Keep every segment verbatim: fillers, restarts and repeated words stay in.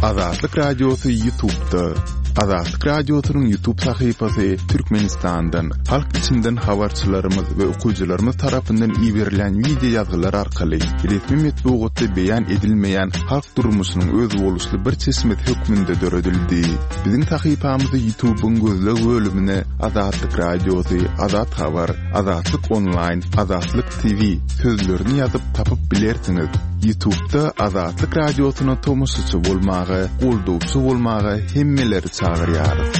Azatlyk Radiosy YouTube'da. Azatlyk Radiosynyň YouTube sahypasy Türkmenistandan, halk içinden habarçylarymyz we okyjylarymyz tarapyndan iberilen wideo ýazgylar arkaly resmi metbugatda beýan edilmeýän halk durmuşynyň özboluşly bir çeşmesi hökmünde döredildi. Biziň sahypamyzy YouTube'yň gözleg bölümine Azatlyk Radiosy, Azat Habar, Azatlyk Online, Azatlyk T V sözlerini ýazyp tapyp bilersiňiz. YouTube'da Azatlyk Radiosyna tomaşaçy bolmaga, goldawçy bolmaga hemmeleri çagyrýarys.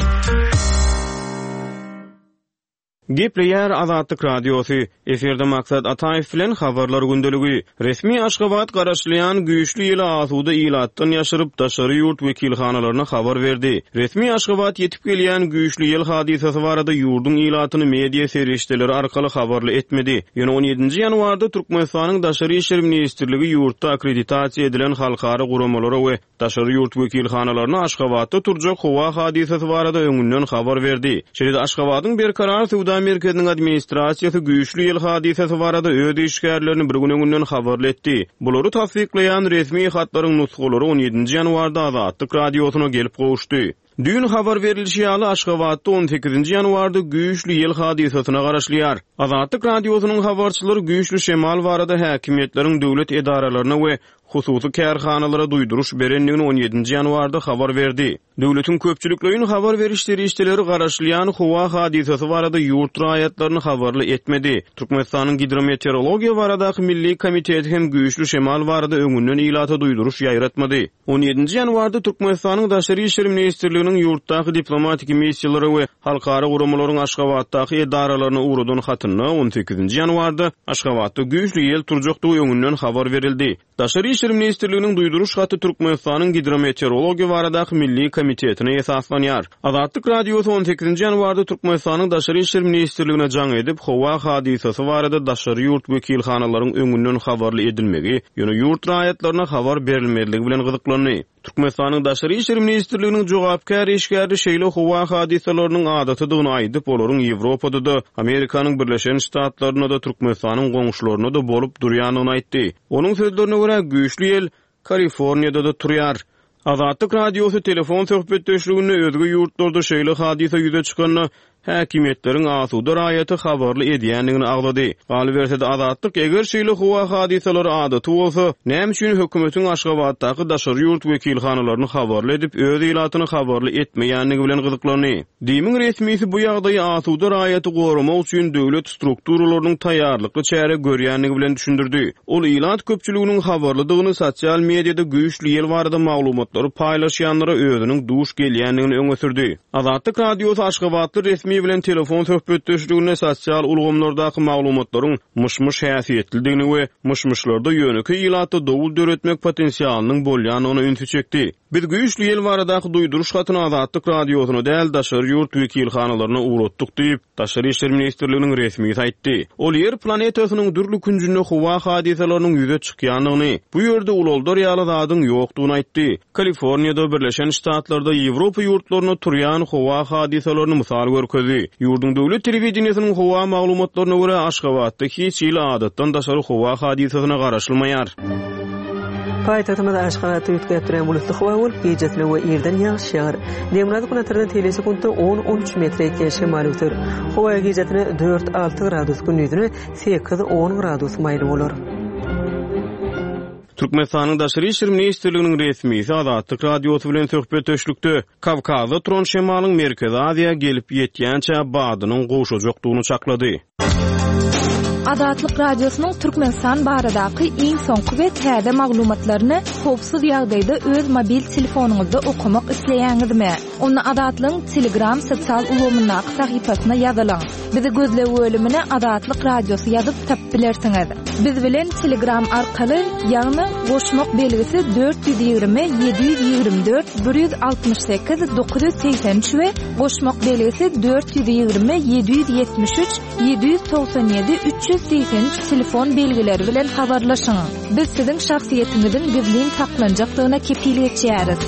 Gepleýär Azatlyk Radiosy. Efirde Maksat Ataýew bilen habarlar gündeligi. Resmi Aşgabat garaşylýan güýçli ýyly asuda ilatdan ýaşyryp daşary ýurt wekilhanalaryna habar berdi. Resmi Aşgabat ýetip gelýän güýçli ýyl hadysasy barada ýurduň ilatyny media serişdeleri arkaly habarly etmedi. Ýöne on ýedinji ýanwarda Türkmenistanyň Daşary işler ministrligi ýurtda akkreditasiýa edilen halkara guramalara we daşary ýurt wekilhanalaryna Aşgabatda turjak howa hadysasy barada öňünden habar berdi. Şeýle-de Aşgabadyň Berkarar söwda merkeziniň administrasiýasy güýçli ýyl hadysasy barada öz işgärlerini bir gün öňünden habarly etdi. Bulary tassyklaýan resmi hatlaryň nusgalary on ýedinji ýanwarda Azatlyk Radiosyna gelip gowuşdy. Düýn habar berilişi ýaly Aşgabatda on sekizinji ýanwarda güýçli ýyl hadysasyna garaşylýar. Azatlyk Radiosynyň habarçylary güýçli şemal barada häkimiýetleriň döwlet edaralaryna we hususy kärhanalara duýduruş berendigini on ýedinji ýanwarda habar berdi. Döwletiň köpçülikleýin habar beriş serişdeleri garaşylýan howa hadysasy barada ýurt raýatlaryny habarly etmedi. Türkmenistanyň Gidrometeorologiýa baradaky Milli komiteti hem güýçli şemal barada öňünden ilata duýduruş ýaýratmady. on ýedinji ýanwarda Türkmenistanyň Daşary işler ministrliginiň ýurtdaky diplomatik missiýalary we halkara guramalaryň Aşgabatdaky edaralaryna ugradan hatynda on sekizinji ýanwarda Aşgabatda güýçli ýel turjakdygy öňünden habar berildi. Daşary işler ministrliginiň duýduruş haty Türkmenistanyň Gidrometeorologiýa baradaky Milli komitetine esaslanýar. Azatlyk Radiosy on sekizinji ýanwarda Türkmenistanyň Daşary işler ministrligine jaň edip, howa hadysasy barada daşary ýurt wekilhanalaryň öňünden habarly edilmegi, ýöne ýurt raýatlaryna habar berilmezligi bilen gyzyklandy. Türkmenistanyň Daşary işler ministrliginiň jogapkär işgäri şeýle howa hadysalarynyň adatydygyny aýdyp, olaryň Ýewropada-da, Amerikanyň Birleşen Ştatlarynda-da, Türkmenistanyň goňşularynda-da bolup durýandygyny aýtdy. Onuň sözlerine görä güýçli ýel Kaliforniýada-da turýar. Azatlyk Radiosy telefon söhbetdeşliginde özge ýurtlarda şeýle hadysa ýüze çykanda häkimiýetleriň asuda raýaty habarly edýändigini agzady. Galyberse-de Azatlyk eger şeýle howa hadysalary adaty bolsa, näme üçin hökümetiň Aşgabatdaky daşary ýurt wekilhanalaryny habarly edip, öz ilatyny habarly etmeýändigi bilen gyzyklandy. Dimiň resmisi bu ýagdaýy asuda raýaty goramak üçin döwlet strukturalarynyň taýýarlykly çäre görýändigi bilen düşündirdi. Ol ilat köpçüliginiň habarlydygyny sosial mediada güýçli ýel barada maglumatlary paýlaşýanlara özüniň duş gelýändigini öňe sürdi. Azatlyk Radiosy Aşgabatly resmi bilen telefon söhbetdeşliginde sosial ulgamlardaky maglumatlaryň myş-myş häsiýetlidigini we myş-myşlarda ýönekeý ilatda dowul döretmek potensialynyň bolýandygyny ünsi çekdi. Biz güýçli ýel baradaky duýduruş hatyny Azatlyk Radiosyna däl daşary ýurt wekilhanalaryna ugratdyk diýip, Daşary işler ministrliginiň resmisi aýtdy. Ol ýer planetasynyň dürli künjünde howa hadysalarynyň ýüze çykýandygyny, bu ýerde ulaldar ýaly zadyň ýokdugyny aýtdy. Kaliforniýada, Birleşen Ştatlarda, Ýewropa ýurtlarynda turýan howa hadysalaryny mysal görkezdi. Ýurduň döwlet telewideniýesiniň howa maglumatlaryna görä Aşgabatda hiç hili adatdan daşary howa hadysasyna garaşylmaýar. Paýtagtymyz Aşgabatda üýtgäp duran bulutly howa bolup, gecesine we irden ýagyş ýagar. Demirgazyk günortadan tele sekuntda on on üç metre ýetýän şemal öser. Howa gecesine dört alty gradus, gündizine sekiz on gradus maýyl bolar. Türkmenistanyň Daşary işler ministrliginiň resmisi Azatlyk Radiosy bilen söhbetdeşlikde Kawkazda turan şemalyň Merkezi Aziýa gelip ýetýänçä badynyň gowşajakdygyny çaklady. Azatlyk Radiosynyň Türkmenistan baradaky iň soňky we täze maglumatlaryny howpsuz ýagdaýda öz mobil telefonyňyzda okamak isleýäňizmi? Onda Azatlygyň Telegram sosial ulgamyndaky sahypasyna ýazylyň. Bizi gözleg bölümine Azatlyk Radiosy ýazyp tapyp bilersiňiz. Biz bilen Telegram arkaly, ýagny goşmak belgisi dört ýüz ýigrimi ýedi ýüz ýigrimi dört bir ýüz altmyş sekiz dokuz ýüz segsen üç we goşmak belgisi dört ýüz ýigrimi ýedi ýüz ýetmiş üç ýedi ýüz togsan ýedi üç ýüz segsen üç telefon belgileri bilen habarlaşyň. Biz siziň şahsyýetiňiziň gizlin saklanjakdygyna kepil geçýäris.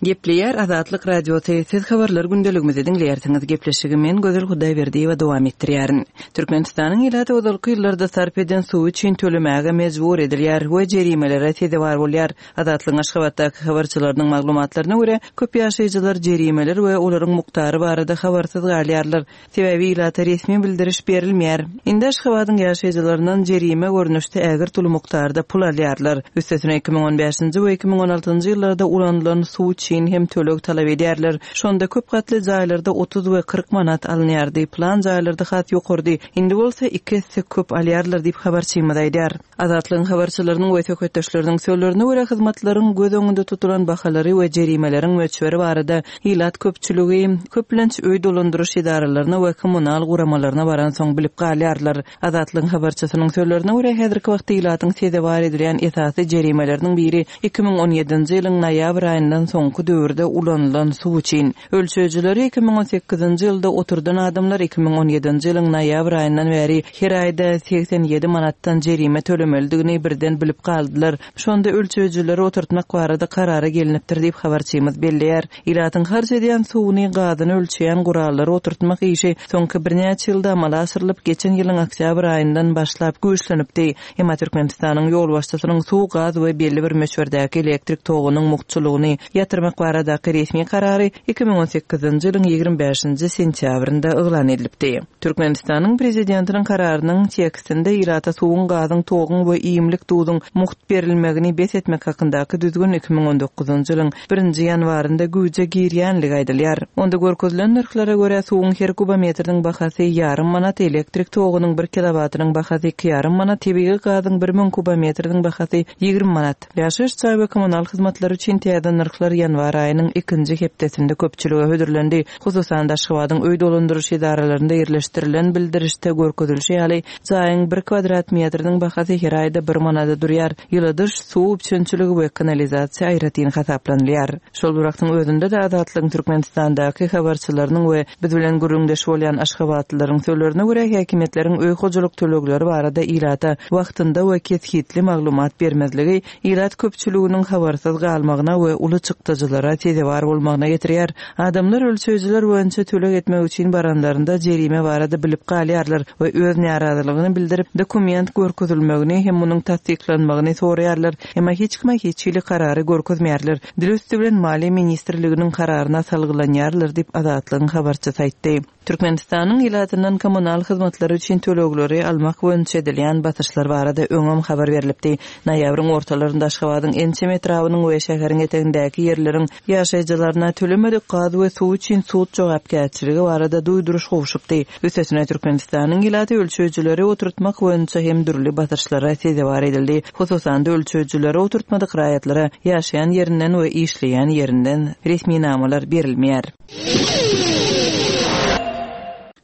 Gepleýär Azatlyk Radiosy, siz habarlar gündeligimizi diňleýärsiňiz. Gepleşigi men Gözel Hudaýberdiýewa dowam etdirýärin. Türkmenistanyň ilaty ozalky ýyllarda sarp eden suwy üçin tölemäge mejbur edilýär we jerimelere sezewar bolýar. Azatlygyň Aşgabatdaky habarçylarynyň maglumatlaryna görä, köp ýaşaýjylar jerimeler we olaryň mukdary barada habarsyz galýarlar. Sebäbi ilata resmi bildiriş berilmeýär. Indi Aşgabadyň ýaşaýjylaryndan jerime görnüşde ägirt uly mukdarda pul alýarlar. Üstesine iki müň on bäşinji we iki müň on altynjy ýyllarda ulanylan suw üçin hem töleg talap edýärler. Şonda köp gatly jaýlarda otuz we kyrk manat alynýardy. Plan jaýlarda has ýokardy. Indi bolsa iki esse köp alýarlar diýip habarçymyz aýdýar. Azatlygyň habarçylarynyň we söhbetdeşleriniň sözlerine görä hyzmatlaryň göz öňünde tutulan bahalary we jerimeleriň möçberi barada ilat köpçüligi köplenç öý dolandyryş edaralaryna we kommunal guramalaryna baransoň bilip galýarlar. Azatlygyň habarçysynyň sözlerine görä häzirki wagtda ilatyň sezewar edilýän esasy jerimeleriniň biri iki müň on ýedinji ýylyň noýabr aýyndan soňky döwürde ulanylan suw üçin. Ölçeýjileri iki müň on sekizinji ýylda oturdan adamlar iki müň on ýedinji ýylyň noýabr aýyndan bäri her aýda segsen ýedi manatdan jerime tölemelidigini birden bilip galdylar. Şonda ölçeýjileri oturtmak barada karara gelinipdir diýip habarçymyz belleýär. Ilatyň harç edýän suwuny, gazyny ölçeýän gurallary oturtmak işi soňky birnäçe ýylda amala aşyrylyp, geçen ýylyň oktýabr aýyndan başlap güýçlenipdi. Emma Türkmenistanyň ýolbaşçysynyň suw, gaz we belli bir möçberdäki elektrik togunyň mugtçulygyny ýatyrmak baradaky resmi karary iki müň on sekizinji ýylyň ýigrimi bäşinji sentýabrynda yglan edilipdi. Türkmenistanyň prezidentiniň kararynyň tekstinde ilata suwuň, gazyň, toguň we iýmlik duzuň mugt berilmegini bes etmek hakyndaky düzgün iki müň on dokuzynjy ýylyň birinji ýanwarynda güýje girýänligi aýdylýar. Onda görkezilen nyrhlara görä suwuň her kubometriniň bahasy ýarym manat, elektrik togunyň bir kilowatynyň bahasy iki ýarym manat, tebigy gazyň bir müň kubometriniň bahasy ýigrimi manat. Ýaşaýyş jaý we kommunal hyzmatlary üçin täze nyrhlar ýanwar aýynyň ikinji hepdesinde köpçülige hödürlendi. Hususan Aşgabadyň öý dolandyryş edaralarynda ýerleşdirilen bildirişde görkezilişi ýaly, jaýyň bir kvadrat metriniň bahasy her aýda bir manada durýar. Ýyladyş, suw üpjünçiligi we kanalizasiýa aýratyn hasaplanylýar. Şol bir wagtyň özünde de Azatlygyň Türkmenistandaky habarçylarynyň we biz bilen gürrüňdeş bolýan aşgabatlylaryň sözlerine görä häkimiýetleriň öý hojalyk tölegleri barada ilata wagtynda we kesgitli maglumat bermezligi ilat köpçüliginiň habarsyz galmagyna we uly çykdajylara sezewar bolmagyna getirýär. Adamlar ölçeýjiler boýunça töleg etmek üçin baranlarynda jerime barada bilip galýarlar we öz närazylygyny bildirip dokument görkezilmegini hem munuň tassyklanmagyny soraýarlar. Emma hiç kime hiç hili karary görkezmeýärler. Dil üstü bilen Maliýe ministrliginiň kararyna salgylanýarlar diýip Azatlygyň habarçysy aýtdy. Türkmenistanyň ilatyndan kommunal hyzmatlary üçin tölegleri almak boýunça edilýän basyşlar barada öňem habar berilipdi. Noýabryň ortalarynda Aşgabadyň ençeme etrabynyň we şäheriň etegindäki ýerleriň ýaşaýjylaryna tölemedik gaz we suw üçin sud jogapkärçiligi barada duýduryş gowşupdy. Üstesine Türkmenistanyň ilaty ölçeýjileri oturtmak boýunça hem dürli basyşlara sezewar edildi. Hususan ölçeýjileri oturtmadyk raýatlara ýaşaýan ýerinden we işleýän ýerinden resminamalar berilmeýär.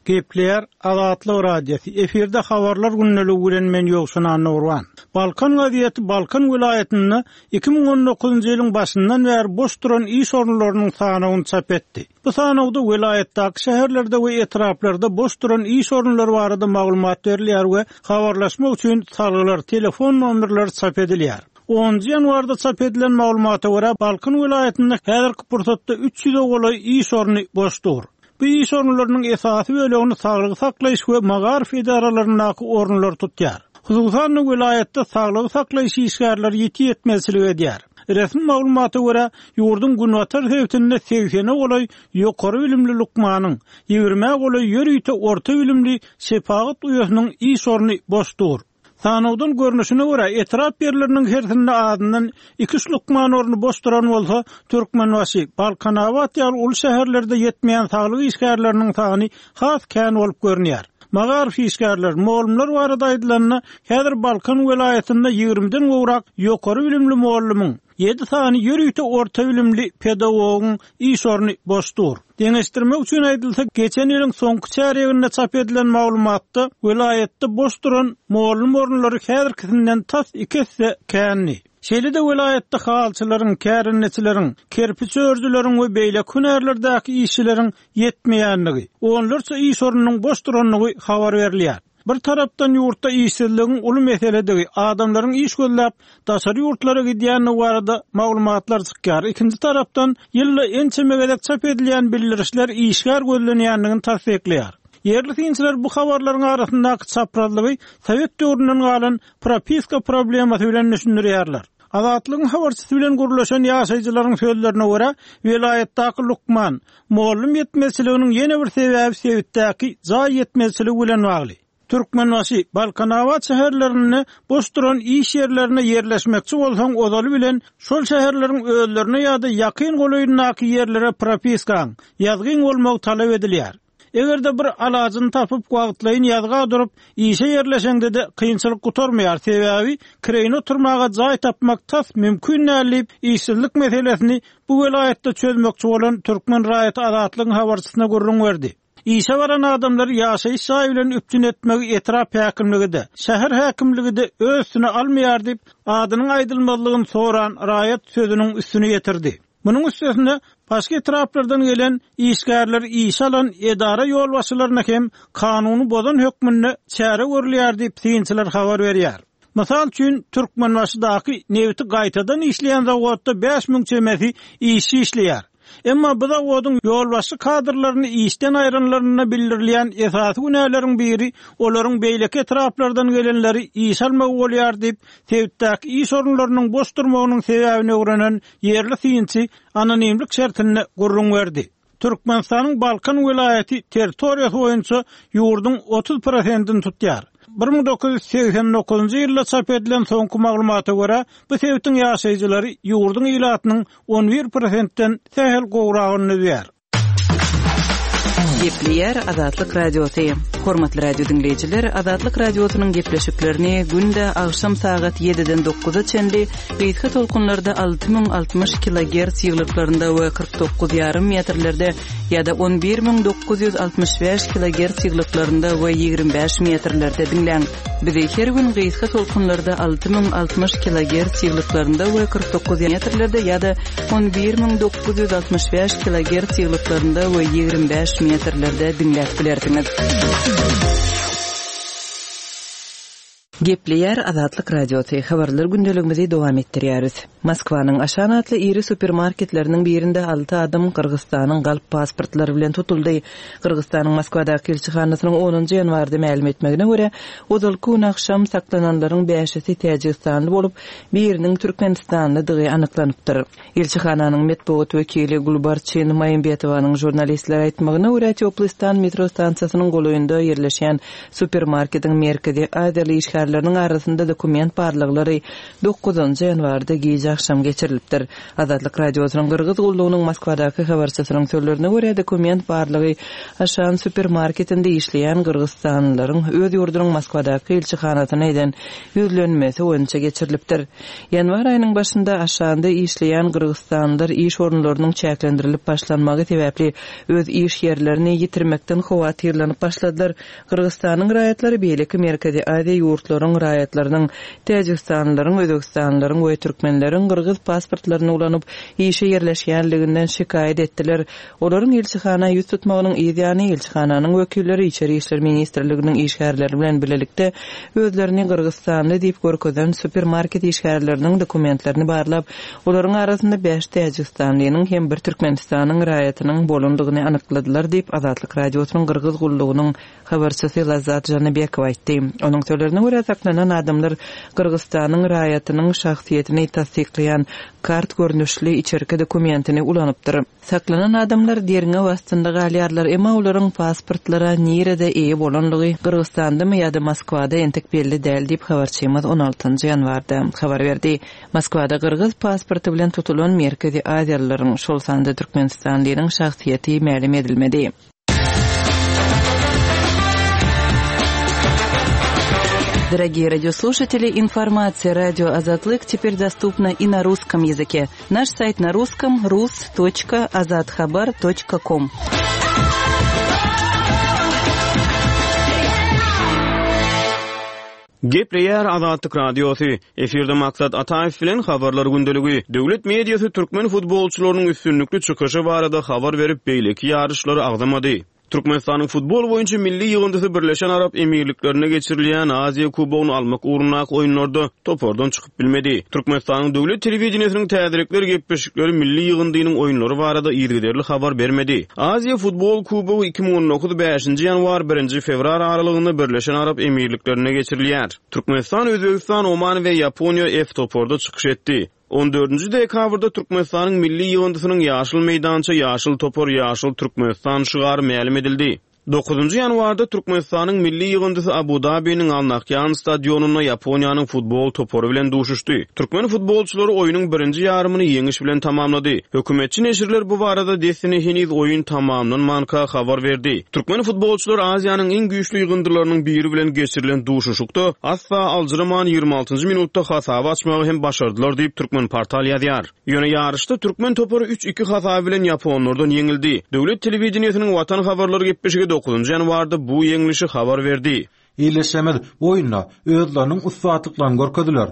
Gepleýär Azatlyk Radiosy. Efirde habarlar gündeligi bilen men Ýowşan Annurwan. Balkan gazeti Balkan welaýatynda iki müň on dokuzynjy ýylyň başyndan bäri boş duran iş orunlarynyň sanawyny çap etdi. Bu sanawda welaýatdaky şäherlerde we etraplarda boş duran iş orunlary barada maglumat berilýär we habarlaşmak üçin salgylar, telefon nomerleri çap edilýär. Onuncu ýanwarda çap edilen maglumata görä Balkan welaýatynda häzirki pursatda üç ýüze golaý iş orny boş dur. Bu iş orunlarynyň esasy bölegini saglygy saklaýyş we magaryf edaralaryndaky orunlar tutýar. Hususan welaýatda saglygy saklaýyş işgärleri ýeti ýetmezçilik edýär. Resmi maglumata görä ýurduň günbatar sebitinde segsene golaý ýokary bilimli lukmanyň, ýigrimi golaý ýörite orta bilimli şepagat uýasynyň iş orny boş dur. Sanawdan görnüşine görä etrap ýerleriniň hersinde azyndan iki üç lukman orny boş duran bolsa, Türkmenbaşy, Balkanabat ýaly uly şäherlerde ýetmeýän saglyk işgärleriniň sany has kän bolup görünýär. Magaryf işgärler, mugallymlar barada aýdylanda, häzir Balkan welaýatynda ýigrimiden gowrak ýokary bilimli mugallymyň, ýedi sany ýörite orta bilimli pedagogyň iş orny boş dur. Deňeşdirmek üçin aýdylsa, geçen ýylyň soňky çärýeginde çap edilen maglumatda welaýatda boş duran mugallym orunlary häzirkisinden tas iki esse kändi. Şeýle-de welaýatda halçylaryň, kärendeçileriň, kerpiç örüjileriň we beýleki hünärlerdäki işçileriň ýetmeýänligi, onlarça iş ornunyň boş duranlygy habar berilýär. Bir tarapdan ýurtda işsizligiň uly meseledigi, adamlaryň iş gözläp daşary ýurtlara gidýändigi barada maglumatlar çykýar. Ikinji tarapdan ýylda ençeme gezek çap edilýän bildirişler işgär gözlenýändigini tassyklaýar. Ýerli synçylar bu habarlaryň arasyndaky çaprazlygy Sowet döwründen galan propiska problemasy bilen düşündirýärler. Azatlygyň habarçysy bilen gürleşen ýaşaýjylaryň sözlerine görä, welaýatdaky lukman, mugallym ýetmezçiliginiň ýene bir sebäbi sebitdäki jaý ýetmezçiligi bilen bagly. Türkmenbaşy, Balkanabat şäherlerinde boş duran iş ýerlerine ýerleşmekçi bolsaň, ozaly bilen şol şäherleriň özlerine ýa-da ýakyn golaýyndaky ýerlere propiskaň, ýazgyň bolmagy talap edilýär. Eger-de bir alajyny tapyp wagtlaýyn ýazga durup, işe ýerleşeňde-de kynçylyk gutarmaýar, sebäbi kireýine oturmaga jaý tapmak tas mümkin däl diýip, işsizlik meselesini bu welaýatda çözmekçi bolan türkmen raýaty Azatlygyň habarçysyna gürrüň berdi. Işe baran adamlary ýaşaýyş jaýy bilen üpjün etmegi etrap häkimligi-de, şäher häkimligi-de öz üstüne almaýar diýip, adynyň aýdylmazlygyny soran raýat sözüniň üstüni ýetirdi. Munuň üstesine başga etraplardan gelen işgärleri işe alan edara ýolbaşçylaryna hem kanuny bozan hökmünde çäre görülýär diýip, synçylar habar berýär. Mysal üçin, Türkmenbaşydaky nebiti gaýtadan işleýän zawodda bäş müň çemesi işçi işleýär. Emma bu zawodyň ýolbaşçy kadrlaryny işden aýranlarynda bildirilýän esasy günäleriň biri olaryň beýleki etraplardan gelenleri işe almagy bolýar diýip, sebitdäki iş orunlarynyň boş durmagynyň sebäbini öwrenen ýerli synçy anonimlik şertinde gürrüň berdi. Türkmenistanyň Balkan welaýaty territoriýasy boýunça ýurduň otuz prosentini tutýar. Bir müň dokuz ýüz segsen dokuzynjy ýylda çap edilen soňky maglumata görä, bu sebitiň ýaşaýjylary ýurduň ilatynyň on bir prosentden sähel gowragyny düzýär. Gepleýär Azatlyk Radiosy. Hormatly radio diňleýjiler, Azatlyk Radiosynyň gepleşiklerini günde agşam sagat ýediden dokuza çenli gysga tolkunlarda alty müň altmyş kilogerts ýyglyklarynda we kyrk dokuz ýarym metrlerde ýa-da on bir müň dokuz ýüz altmyş bäş kilogerts ýyglyklarynda we ýigrimi bäş metrlerde diňläň. Bizi her gün gysga tolkunlarda alty müň altmyş kilogerts ýyglyklarynda we kyrk dokuz metrlerde ýa-da on bir müň dokuz ýüz altmyş bäş kilogerts ýyglyklarynda we ýigrimi bäş metrlerde diňläp bilersiňiz. Gepleýär Azatlyk Radiosy. Habarlar gündeligimizi dowam etdirýäris. Moskwanyň Aşan atly iri supermarketleriniň birinde alty adam Gyrgyzystanyň galp pasportlary bilen tutuldy. Gyrgyzystanyň Moskwadaky ilçihanasynyň onunjy ýanwarda mälim etmegine görä, ozalky gün agşam saklananlaryň bäşisi Täjigistanly bolup, biriniň Türkmenistanlydygy anyklanypdyr. Ilçihananyň metbugat wekili Gulbarçyn Maýymbetowanyň žurnalistlere aýtmagyna görä, Teoplistan metro stansiýasynyň golaýynda ýerleşen supermarketiň merkezi Aziýaly işgärleriniň arasynda dokument barlaglary dokuzynjy ýanwarda gije agşam geçirilipdir. Azatlyk Radiosynyň Gyrgyz gullugynyň Moskwadaky habarçysynyň sözlerine görä, dokument barlagy Aşan supermarketinde işleýän Gyrgyzstanlylaryň öz ýurdunyň Moskwadaky ilçihanasyna eden ýüzlenmesi boýunça geçirilipdir. Ýanwar aýynyň başynda Aşanda işleýän Gyrgyzstanlylar iş orunlarynyň çäklendirilip başlanmagy sebäpli öz iş ýerlerini ýitirmekden howatyrlanyp başladylar. Gyrgyzstanyň raýatlary beýleki Merkezi Aziýa ýurtlaryň raýatlarynyň, Täjigistanlylaryň, Özbegistanlylaryň we türkmenleriň gyrgyz pasportlaryny ulanyp işe ýerleşýänliginden şikaýat etdiler. Olaryň ilçihana ýüz tutmagynyň yz ýany ilçihananyň wekilleri Içeri işler ministrliginiň işgärleri bilen birlikde özlerini Gyrgyzstanly diýip görkezen supermarket işgärleriniň dokumentlerini barlap, olaryň arasynda bäş Täjigistanlynyň hem bir Türkmenistanyň raýatynyň bolandygyny anykladylar diýip Azatlyk Radiosynyň Gyrgyz gullugynyň habarçysy Lazat Janybekow aýtdy. Onuň sözlerine görä saklanan adamlar Gyrgyzstanyň raýatynyň şahsyýetini tassyklaýan kart görnüşli içerki dokumentini ulanypdyr. Saklanan adamlar derňew astynda galýarlar, emma olaryň pasportlara nirede eýe bolanlygy Gyrgyzstandamy ýa-da Moskwada entek belli däl diýip habarçymyz on altynjy ýanwarda habar berdi. Moskwada gyrgyz pasporty bilen tutulan Merkezi Aziýalylaryň, şol sanda Türkmenistanlylaryň şahsyýeti mälim edilmedi. Дорогие радиослушатели, информация радио Азатлык теперь доступна и на русском языке. Наш сайт на русском рус точка азатхабар точка ком. Gepleýär Azatlyk Radiosy. Efirde Maksat Ataýew bilen habarlar gündeligi. Döwlet mediasy türkmen futbolçylarynyň üstünlikli çykyşy barada habar berip, beýleki ýaryşlary agzamady. Türkmenistanyň futbol boýunça milli ýygyndysy Birleşen Arap Emirliklerinde geçirilýän Aziýa Kubogyny almak ugrundaky oýunlarda topardan çykyp bilmedi. Türkmenistanyň döwlet telewideniýesiniň täzelikler gepleşikleri milli ýygyndynyň oýunlary barada yzygiderli habar bermedi. Aziýa futbol kubogy iki müň on dokuz bäşinji ýanwar birinji fewral aralygynda Birleşen Arap Emirliklerinde geçirilýär. Türkmenistan, Özbegistan, Oman we Ýaponiýa F toparda çykyş etdi. On dördünji dekabrda Türkmenistanyň milli ýygyndysynyň ýaşyl meýdança, ýaşyl topar, ýaşyl Türkmenistan şygary mälim edildi. Dokuzynjy ýanwarda Türkmenistanyň milli ýygyndysy Abu-Dabiniň Al Nahýan stadionynda Ýaponiýanyň futbol topary bilen duşuşdy. Türkmen futbolçylary oýnuň birinji ýarymyny ýeňiş bilen tamamlady. Hökümetçi neşirler bu barada dessine heniz oýun tamamlanmanka habar berdi. Türkmen futbolçylary Aziýanyň iň güýçli ýygyndylarynyň biri bilen geçirilen duşuşykda asla aljyraman ýigrimi altynjy minutda hasaby açmagy hem başardylar diýip Türkmen portal ýazýar. Ýöne ýaryşda türkmen topary üç iki hasaby bilen ýaponlardan ýeňildi. Döwlet telewideniýesiniň Watan habarlary gepleşigi dokuzynjy ýanwarda bu ýeňlişi habar berdi. Ildeşlerimiz bu oýunda özleriniň ussatlyklaryny görkezdiler.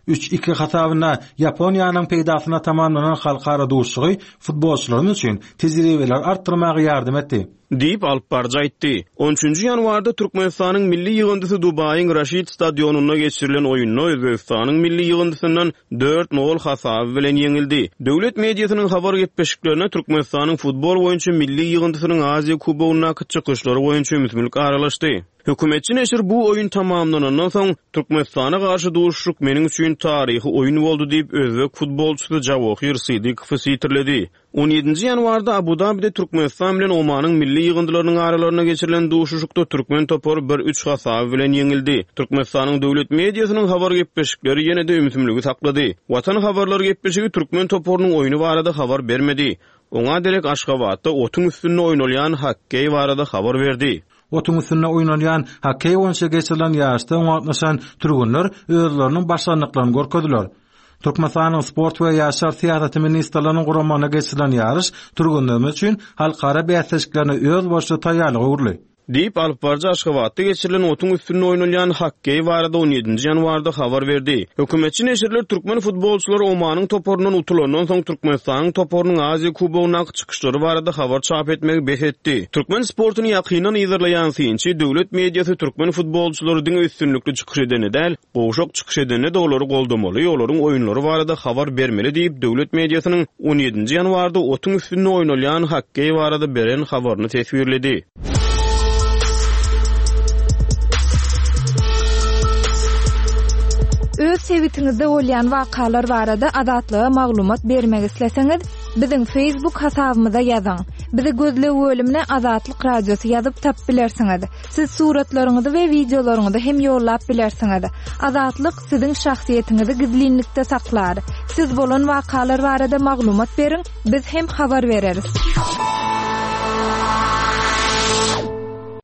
Üç iki hasabynda Ýaponiýanyň peýdasyna tamamlanan halkara duşuşygy futbolçylarymyz üçin tejribeleri artdyrmaga ýardam etdi. Diýip, alyp baryjy aýtdy. On üçünji ýanwarda Türkmenistanyň milli ýygyndysy Dubaýyň Raşid stadionynda geçirilen oýunda Özbegistanyň milli ýygyndysyndan dört nol hasaby bilen ýeňildi. Döwlet mediasynyň habar gepleşiklerine Türkmenistanyň futbol boýunça milli ýygyndysynyň Aziýa Kubogyndaky çykyşlary boýunça ümsümlik aralaşdy. Hökümetçi neşir bu oýun tamamlanandan soň Türkmenistana garşy duşuşyk meniň üçin taryhy oýun boldy diýip özbek futbolçysy Javohir Sidikovy sitirledi. On ýedinji ýanwarda Abu-Dabide Türkmenistan bilen Omanyň milli ýygyndylarynyň aralarynda geçirilen duşuşykda türkmen topary bir üç hasaby bilen ýeňildi. Türkmenistanyň döwlet mediasynyň habar gepleşikleri ýene-de ümsümligi saklady. Watan habarlary gepleşigi türkmen toparynyň oýny barada habar bermedi. Oňa derek Aşgabatda otuň üstünde oýnalýan hokkeý barada habar berdi. Otuň üstünde oýnalýan hokkeý boýunça geçirilen ýaryşda gatnaşan türgenler özleriniň başarnyklaryny görkezdiler. Türkmenistanyň Sport we Ýaşlar Syýasaty ministrliginiň guramagyna geçirilen ýaryş türgenlerimiz üçin halkara bäsleşiklerine özboluşly taýýarlyk öwrüldi. Diýip, alyp baryjy Aşgabatda geçirilen otuň üstünde oýnalýan hokkeý barada on ýedinji ýanwarda habar berdi. Hökümetçi neşirler türkmen futbolçylary Omanyň toparyndan utulandan soň Türkmenistanyň toparynyň Aziýa Kubogyndaky çykyşlary barada habar çap etmegi bes etdi. Türkmen sportuny ýakyndan yzarlaýan synçy döwlet mediasy türkmen futbolçylary diňe üstünlikli çykyş edeni däl, gowşak çykyş edeni de olary goldamaly, olaryň oýunlary barada habar bermeli diýip döwlet mediasynyň on ýedinji ýanwarda otuň üstünde oýnalýan hokkeý barada beren habaryny teswirledi. Öz sebitiňizde bolýan wakalar barada Azatlyga maglumat bermek isleseňiz, biziň Facebook hasabymyza ýazyň. Bizi gözleg bölümine Azatlyk Radiosy ýazyp tap bilersiňiz. Siz suratlaryňyzy we wideolaryňyzy hem ýollap bilersiňiz. Azatlyk siziň şahsyýetiňizi gizlinlikde saklar. Siz bolan wakalar barada maglumat beriň, biz hem habar bereris.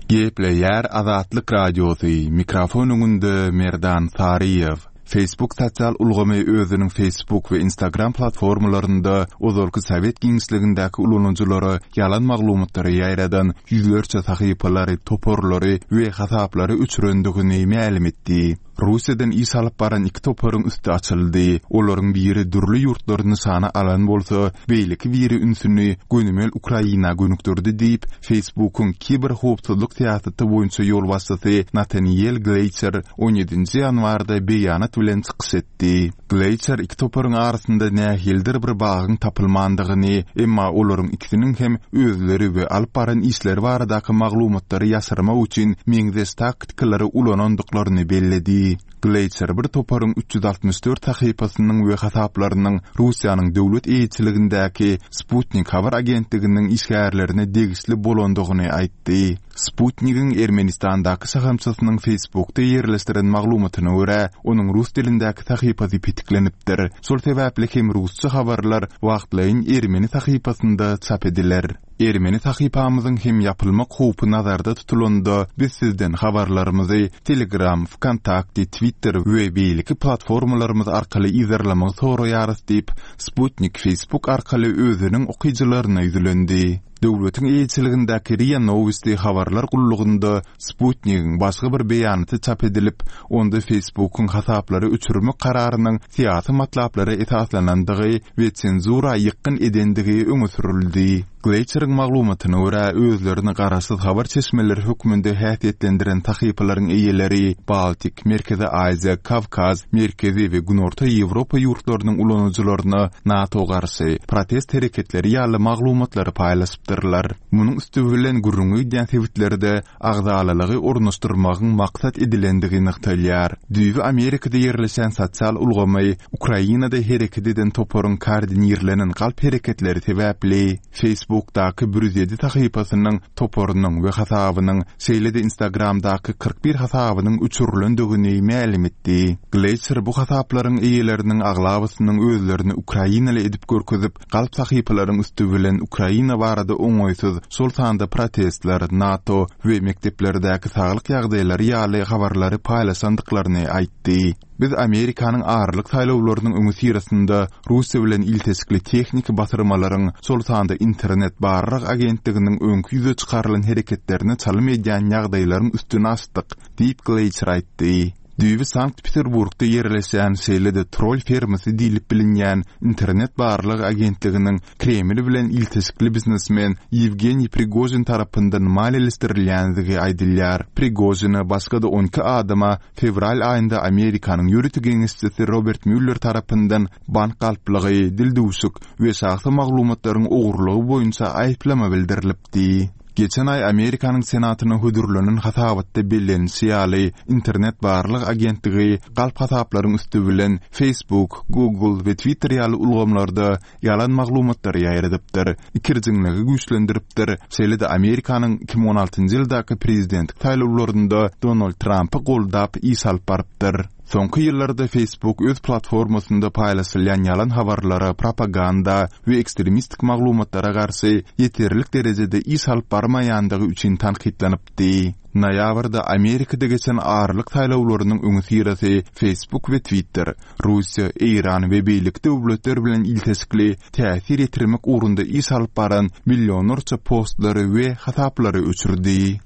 Gepleýär Azatlyk Radiosy, mikrofon öňünde Merdan Saryýew. Facebook sosial ulgamy özüniň Facebook we Instagram platformalarynda ozalky sowet giňişligindäki ulanyjylara ýalan maglumatlary ýaýradan ýüzlerçe sahypalary, toparlary we hasaplary öçürendigini mälim etdi. Russiýadan iş alyp baran iki toparyň üsti açyldy. Olaryň biri dürli ýurtlary nyşana alan bolsa, beýleki biri ünsüni gönümel Ukraina gönükdirdi diýip, Facebookyň kiberhowpsuzlyk syýasaty boýunça ýolbaşçysy Nathaniel Gleicher on ýedinji ýanwarda beýanat bilen çykyş etdi. Gleicher iki toparyň arasynda nähilidir bir bagyň tapylmandygyny, emma olaryň ikisiniň hem özleri we alyp baran işleri baradaky maglumatlary ýaşyrmak üçin meňzeş taktikalary ulanandyklaryny belledi. Gleicher bir toparyň üç ýüz altmyş dört sahypasynyň we hasaplarynyň Russiýanyň döwlet eýeçiligindäki Sputnik habar agentliginiň işgärlerine degişli bolandygyny aýtdy. Sputnigiň Ermenistandaky şahamçasynyň Facebookda ýerleşdiren maglumatyna görä, onuň rus dilindäki sahypasy petiklenipdir. Şol sebäpli hem rusça habarlar wagtlaýyn ermeni sahypasynda çap ediler. Ermeni sahypamyzyň hem ýapylmak howpy nazarda tutulanda, biz sizden habarlarymyzy Telegram, Vkontakte, Twitter we beýleki platformalarymyz arkaly yzarlamagy soraýarys diýip, Sputnik Facebook arkaly özüniň okyjylaryna ýüzlendi. Döwletiň eýeçiligindäki RIA Novosti habarlar gullugynda Sputnigiň başga bir beýanaty çap edilip, onda Facebookyň hasaplary öçürmek kararynyň syýasy matlaplara esaslanandygy we senzura ýykgyn edendigi öňe sürüldi. Gleýçeriň maglumatyna görä, özlerini garaşsyz habar çeşmeleri hökmünde häsiýetlendiren sahypalaryň eýeleri Baltik, Merkezi Aziýa, Kawkaz, Merkezi we Günorta Ýewropa ýurtlarynyň ulanyjylaryna NATO garşy protest hereketleri ýaly maglumatlary paýlaşypdyrlar. Munuň üsti bilen gürrüňi gidýän sebitlerde agzalalygy ornaşdyrmagyň maksat edilendigi nygtalýar. Düýbi Amerikada ýerleşen sosial ulgamy Ukrainada hereket eden toparyň koordinirlenen galp hereketleri sebäpli Facebookdaky bir ýüz ýedi sahypasynyň toparynyň we hasabynyň, şeýle-de Instagramdaky kyrk bir hasabynyň öçürilendigini mälim etdi. Gleýçer bu hasaplaryň eýeleriniň aglabasynyň özlerini Ukrainaly edip görkezip, galp sahypalaryň üsti bilen Ukraina barada oňaýsyz, şol sanda protestler, NATO we mekdeplerdäki saglyk ýagdaýlary ýaly habarlary paýlaşandyklaryny aýtdy. Biz Amerikanyň aralyk saýlawlarynyň öňüsyrasynda Russiýa bilen ilteşikli tehniki basyrmalaryň, şol sanda internet barlag agentliginiň öňki ýüze çykarylan hereketlerine çalym edýän ýagdaýlaryň üstüni açdyk, diýip Gleýçer aýtdy. Düýbi Sankt-Peterburgda ýerleşen, şeýle-de troll fermasy diýlip bilinýän internet barlag agentliginiň Kreml bilen ilteşikli biznesmen Ýewgeniý Prigožin tarapyndan maliýeleşdirilýändigi aýdylýar. Prigožine başga-da on iki adama fewral aýynda Amerikanyň ýörite geňeşçisi Robert Müller tarapyndan bank galplygy, dildüwşük we şahsy maglumatlaryň ogurlygy boýunça aýyplama bildirilipdi. Geçen aý Amerikanyň Senatyna hödürlenen hasabatda bellenişi ýaly, internet barlag agentligi galp hasaplaryň üsti bilen Facebook, Google we Twitter ýaly ulgamlarda ýalan maglumatlary ýaýradypdyr, ikirjiňligi güýçlendiripdir, şeýle-de Amerikanyň iki müň on altynjy ýyldaky prezidentlik saýlawlarynda Donald Trumpy goldap iş alyp barypdyr. Soňky ýyllarda Facebook öz platformasynda paýlaşylýan ýalan habarlara, propaganda we ekstremistik maglumatlara garşy ýeterlik derejede iş alyp barmaýandygy üçin tankytlanypdy. Noýabrda Amerikada geçen aralyk saýlawlarynyň öňüsyrasy Facebook we Twitter, Russiýa, Eýran we beýleki döwletler bilen ilteşikli täsir ýetirmek ugrunda iş alyp baran millionlarça postlary we hasaplary öçürdi.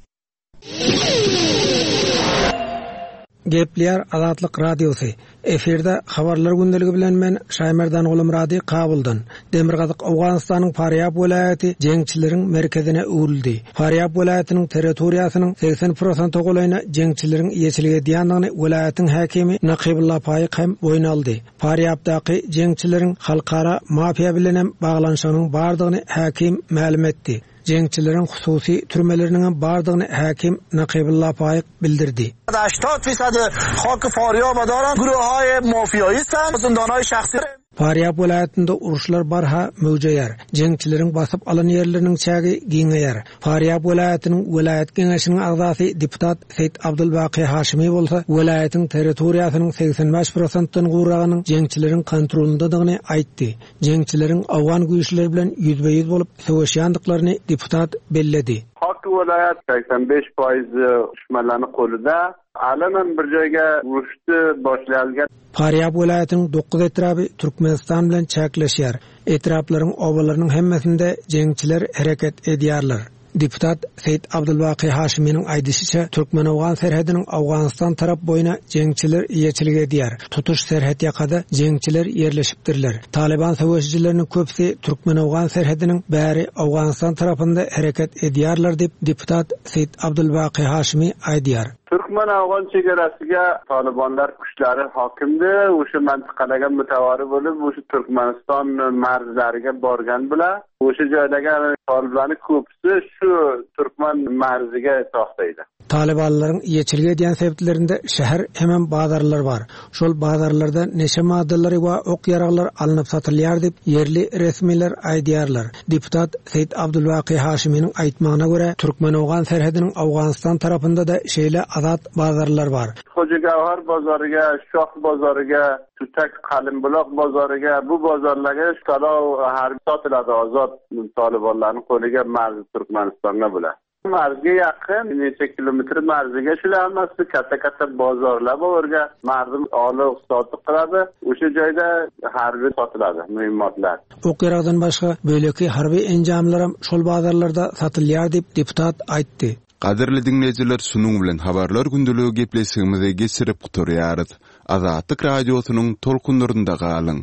Gepleýär Azatlyk Radiosy. Efirde habarlar gündeligi bilen men Şaýmerdan Gulumrady Kabuldan. Demirgazyk Owganystanyň Farýab welaýaty jeňçileriň merkezine öwrüldi. Farýab welaýatynyň territoriýasynyň segsen prosent golaýyna jeňçileriň eýeçilik edýändigini welaýatyň häkimi Nakybulla Faýyk hem boýun aldy. Farýabdaky jeňçileriň halkara mafiýa bilen hem baglanyşygynyň bardygyny häkim mälim etdi. Jeňçileriň hususy türmeleriniň bardygyny häkim Nakybulla Faýyk bildirdi. هشتاد فیصد خاک فاریاب دارن گروه‌های مافیایی هستن زندان‌های şahsi Farýab welaýatynda uruşlar barha möwjeýär. Jeňçileriň basyp alan ýerleriniň çägi giňeýär. Farýab welaýatynyň welaýat geňeşiniň agzasy deputat Seýit Abdulbaki Haşimi bolsa welaýatyň territoriýasynyň segsen bäş prosentden gowragynyň jeňçileriň kontrolyndadygyny aýtdy. Jeňçileriň Awgan güýçleri bilen ýüzbe-ýüz bolup söweşýändiklaryny deputat belledi. Hak welaýat segsen bäş foiz düşmanlaryň golunda. Alanan bir joýga uruşdy başlangan. Farýab welaýatynyň dokuz etraby Türkmenistan bilen çäkleşýär. Etraplaryň obalarynyň hemmesinde jeňçiler hereket edýärler. Deputat Seýit Abdulbaki Haşiminiň aýdyşyça Türkmen-Awgan serhediniň Awganistan tarap boýuna jeňçiler eýeçilik edýär. Tutuş serhet ýakada jeňçiler ýerleşipdirler. Taliban söweşijileriniň köpüsi Türkmen-Awgan serhediniň bäri Awganistan tarapynda hereket edýärler diýip deputat Seýit Abdulbaki Haşimi aýdýar. Türkmen-Awgan çegeresiga Talibanlar kuchlari hokimdi, o'sha mintaqalarga mutavari bo'lib, o'sha Turkmaniston marzlariga borgan bular. O'sha joydagi toliblarning ko'pisi shu Turkman marziga to'xtaydi. Talibanlaryň eýeçilik edýän sebitlerinde şäher hemen bazarlar bar. Şol bazarlarda neşe maddalary we ok ýaraglar alnyp satylýar diýip ýerli resmiler aýdýarlar. Deputat Seýit Abdulbaki Haşiminiň aýtmagyna görä Türkmen-Awgan serhediniň Awganistan tarapynda da şeýle azat bazarlar bar. Hoca Gavhar bozoriga, Shoh bozoriga, Tutak Qalimbuloq bozoriga, bu bozorlarga talo har sotiladi ozod Talibanlarning qo'liga marzi Turkmanistonga bular. Marzga yaqin, necha kilometr marziga shular hammasi katta katta bozorlar bor, ularga mardum olib sotib qiladi. O'sha joyda harbiy sotiladi muhimotlar. Ok-ýaragdan başga beýleki harby enjamlaram şol bazarlarda satylýar diýip deputat aýtdy. Gadyrly diňleýjiler, şunuň bilen habarlar gündeligi gepleşigimizi geçirip gutarýarys. Azatlyk radiosynyň tolkunlarynda galyň.